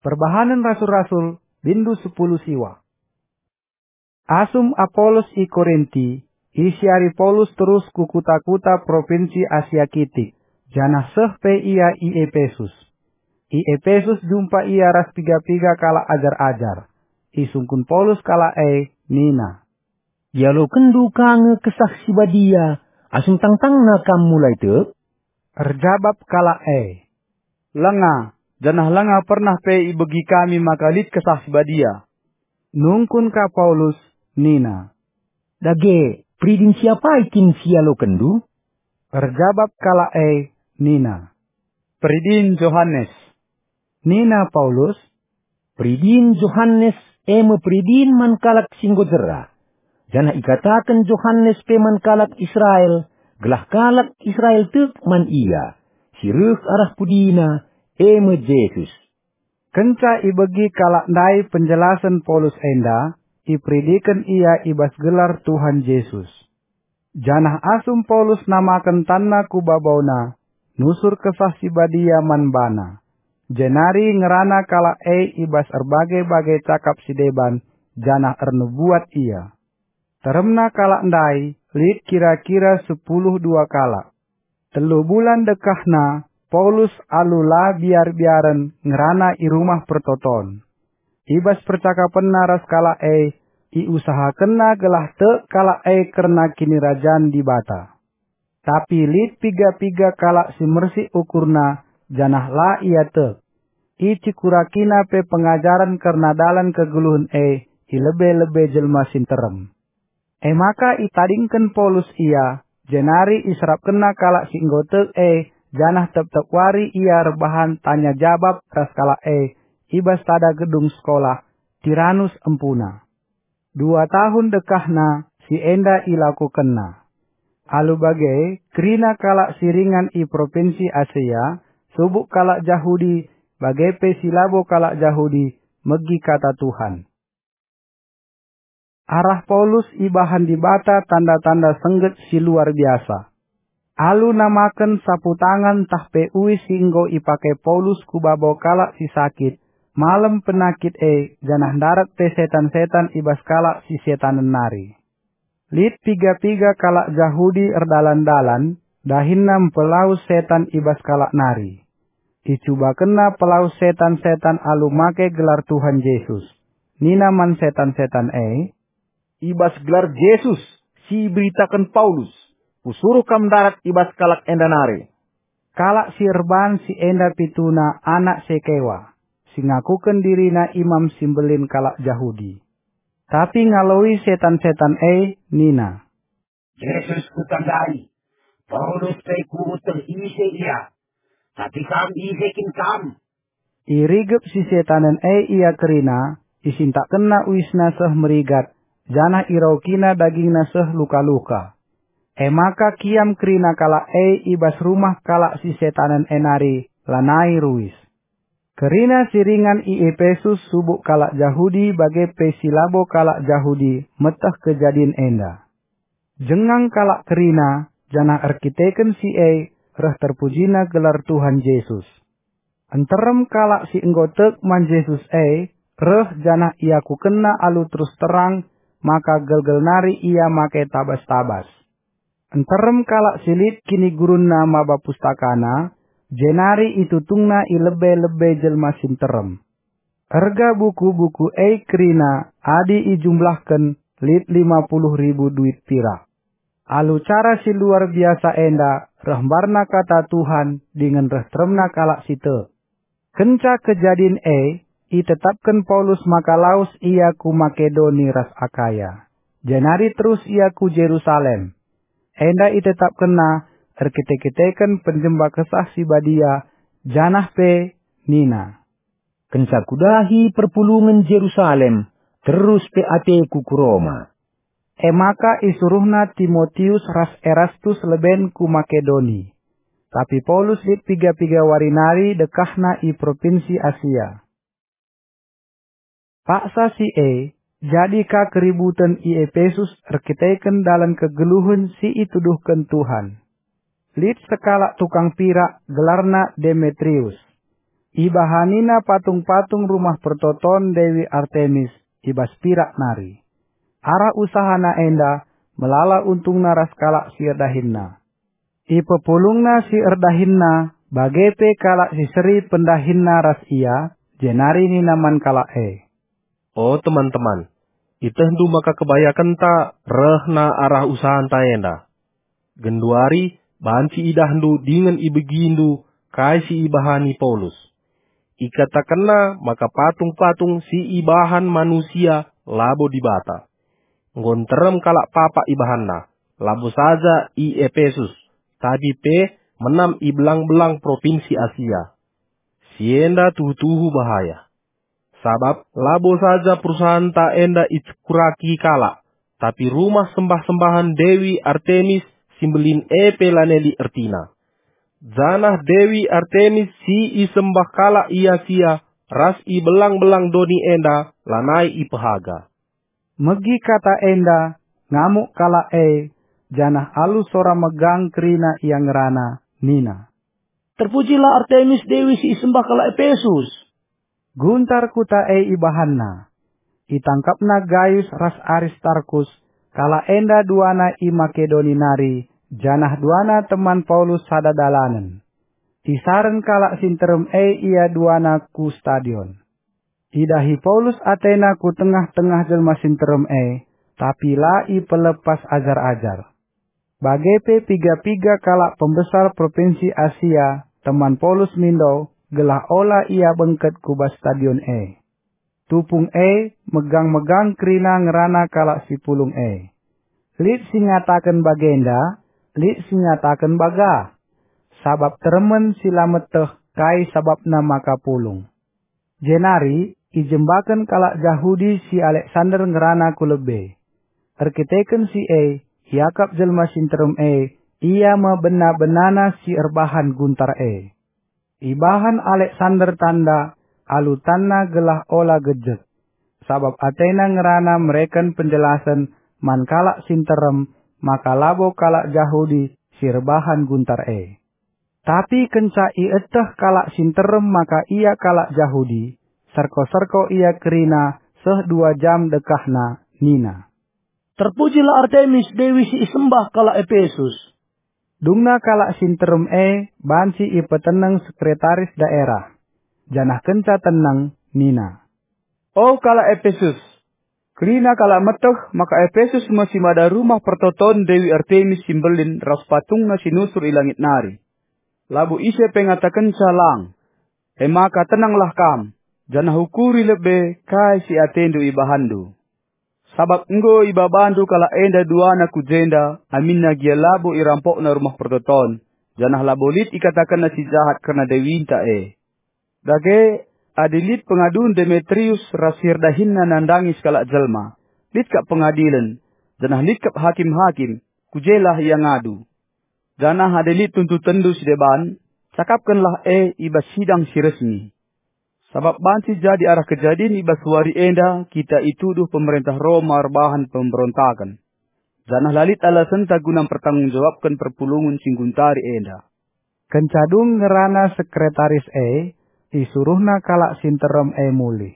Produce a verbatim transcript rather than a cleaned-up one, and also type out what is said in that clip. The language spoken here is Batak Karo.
Perbahanen Rasul-Rasul, bindu sepuluh siwa. Asum Apolos i Korinti, isiari Paulus terus ku kuta-kuta propinsi Asia Kitik, janah seh pe ia i Epesus. I Epesus jumpa ia ras piga-piga kalak ajar-ajar. Isungkun Paulus kalak e, nina, "Ialokenndu ka nge Kesah Si Badia, asum tangtangna kam mulai tek?" Erjabap kalak e, "Langa, janah langa pernah pe ibegi kami maka lit Kesah Si Badia." Nungkun ka Paulus, nina, "Dage, peridin si apai kin si ialokenndu?" Erjabap kalak e, nina, "Peridin Johanes." Nina Paulus, "Peridin Johanes e me peridin man kalak si enggo jera, janah ikataken Johanes pe man kalak Israel, gelah kalak Israel tek man ia, si reh arah pudina, e me Jesus." Kenca ibegi kalak ndai penjelasen Paulus enda, iperidiken ia i bas gelar Tuhan Jesus. Janah asum Paulus namaken tanna ku babauna, nusur Kesah Si Badia man bana. Jenari ngerana kalak e i bas erbage-bage cakap si deban, janah ernubuat ia. Teremna kalak ndai lit kira-kira sepuluh dua kalak. Telu bulan dekahna, Paulus alu la biar-biaren ngerana i Rumah Pertoton. I bas percakapenna ras kalak e, iusahakenna gelah tek kalak e kerna Kinirajan Dibata. Tapi lit piga-piga kalak si mersik ukurna, janah la ia tek. Icikurakina pe pengajaren kerna dalan kegeluhen e i lebe-lebe jelma si nterem. E maka itadingken Paulus ia, jenari iserapkenna kalak si enggo tek e, janah tep-tep wari ia erbahan tanya jabap ras kalak e i bas sada gedung sekolah, Tiranus empuna. Dua tahun dekahna si enda ilakokenna. Alu bage, kerina kalak si ringan i propinsi Asia, subuk kalak Jahudi, bage pe si labo kalak Jahudi, megi kata Tuhan. Arah Paulus ibahan Dibata tanda-tanda sengget si luar biasa. Alu namaken sapu tangan ntah pe uis si enggo ipake Paulus ku babo kalak si sakit, malem penakit e, janah ndarat pe setan-setan i bas kalak si setanen nari. Lit piga-piga kalak Jahudi erdalan-dalan, dahinna mpelawes setan i bas kalak nari. Icubakenna pelawes setan-setan alu make gelar Tuhan Jesus. Nina man setan-setan e, "I bas gelar Jesus si iberitaken Paulus, kusuruh kam ndarat i bas kalak enda nari." Kalak si erban si enda pituna anak Sekewa, si ngakuken dirina imam si mbelin kalak Jahudi. Tapi ngaloi setan-setan e nina, "Jesus kutandai, Paulus pe kueteh ise ia, tapi kam ise kin kam?" Irigep si setanen e ia kerina, isintakkenna uisna seh merigat, janah iraukina dagingna seh luka-luka. E maka kiam kerina kalak e i bas rumah kalak si setanen e nari, lanai ruis. Kerina si ringan i Epesus subuk kalak Jahudi bage pe si labo kalak Jahudi meteh kejadin enda. Jengang kalak kerina, janah erkiteken si e reh terpujina gelar Tuhan Jesus. Nterem kalak si enggo tek man Jesus e reh janah iakukenna alu terus terang maka gelgel nari ia make tabas-tabas. Nterem kalak si lit kinigurunna maba pustakana, jenari itutungna i lebe-lebe jelma si nterem. Erga buku-buku e kerina adi ijumlahken lit lima puluh ribu duit pirak. Alu cara si luar biasa enda reh mbarna kata Tuhan dingen reh teremna kalak si tek. Kenca kejadin e, itetapken Paulus maka lawes ia ku Makedoni ras Akaya. Jenari terus ia ku Jerusalem. Enda itetapkenna erkite-kiteken penjemba Kesah Si Badia, janah pe nina, "Kenca kudahi perpulungen Jerusalem, terus pe ateku ku Roma." E maka isuruhna Timotius ras Erastus leben ku Makedoni. Tapi Paulus lit piga-piga wari nari dekahna i propinsi Asia. Paksa si e, jadi ka keributen i Epesus erkiteken dalan kegeluhen si ituduhken Tuhan. Lit sekalak tukang pirak gelarna Demetrius. Ibahanina patung-patung rumah pertoton Dewi Artemis i bas pirak nari. Arah usahana enda melala untungna ras kalak si erdahinna. Ipepulungna si erdahinna, bage pe kalak si seri pendahinna ras ia, jenari nina man kalak e, "O teman-teman, itehndu maka kebayakenta rehna arah usahanta enda. Genduari banci idahndu dingen ibegindu kai si ibahani Paulus. Ikatakenna maka patung-patung si ibahan manusia labo Dibata. Enggo nterem kalak papak ibahanna, labo saja i Epesus, tapi pe menam i belang-belang propinsi Asia. Si enda tuhu-tuhu bahaya. Sabap labo saja perusahanta enda icekuraki kalak, tapi rumah sembah-sembahan Dewi Artemis si mbelin e pe lanai lit ertina. Janah Dewi Artemis si isembah kalak i Asia ras i belang-belang doni enda lanai ipehaga." Megi kata enda, ngamuk kalak e, janah alu sora megang kerina ia ngerana, nina, "Terpujilah Artemis Dewi si isembah kalak Epesus!" Guntar kuta e ibahanna. Itangkapna Gayus ras Aristarkus, kalak enda duana i Makedoni nari, janah duana teman Paulus sada dalanen. Isaren kalak si nterem e ia duana ku stadion. Idahi Paulus atena ku tengah-tengah jelma si nterem e, tapi la ipelepas ajar-ajar. Bage pe piga-piga kalak pembesar propinsi Asia teman Paulus mindo gelah ola ia bengket ku bas stadion e. Tupung e megang-megang kerina ngerana kalak si pulung e. Lit si ngataken bagenda, lit si ngataken baga. Sabap teremen si la meteh kai sabapna maka pulung. Jenari ijembaken kalak Jahudi si Aleksander ngerana ku lebe. Erkiteken si e, iakap jelma si nterem e, ia me bena-benana si erbahan guntar e. Ibahan Aleksander tanda alu tanna gelah ola gejek, sabap atena ngerana mereken penjelasen man kalak si nterem maka labo kalak Jahudi si erbahan guntar e. Tapi kenca ieteh kalak si nterem maka ia kalak Jahudi, serko-serko ia kerina seh dua jam dekahna, nina, "Terpujilah Artemis, dewi si isembah kalak Epesus." Dungna kalak si nterem e banci ipeteneng sekretaris daerah, janah kenca teneng nina, "O kalak Epesus, kerina kalak meteh maka Epesus me si mada rumah pertoton Dewi Artemis si mbelin ras patungna si nusur i langit nari. Labo ise pe ngatakenca lang. E maka tenanglah kam, janah ukuri lebe kai si atendu ibahanndu. Sabap enggo ibabandu kalak enda duana ku jenda, aminna gia labo irampokna rumah pertoton, janah labo lit ikatakenna si jahat kerna dewinta e. Dage, adi lit pengadun Demetrius ras si erdahinna nandangi sekalak jelma, lit kap pengadilen, janah lit kap hakim-hakim, ku jelah ia ngadu. Janah adi lit tuntutenndu si deban, cakapkenlah e i bas sidang si resmi. Sabap banci jadi arah kejadin i bas wari enda kita ituduh pemerentah Roma erbahan pemberontaken, janah la lit alasenta guna mpertanggung-jawabken perpulungen si ngguntari enda." Kenca dung ngerana sekretaris e, isuruhna kalak si nterem e mulih.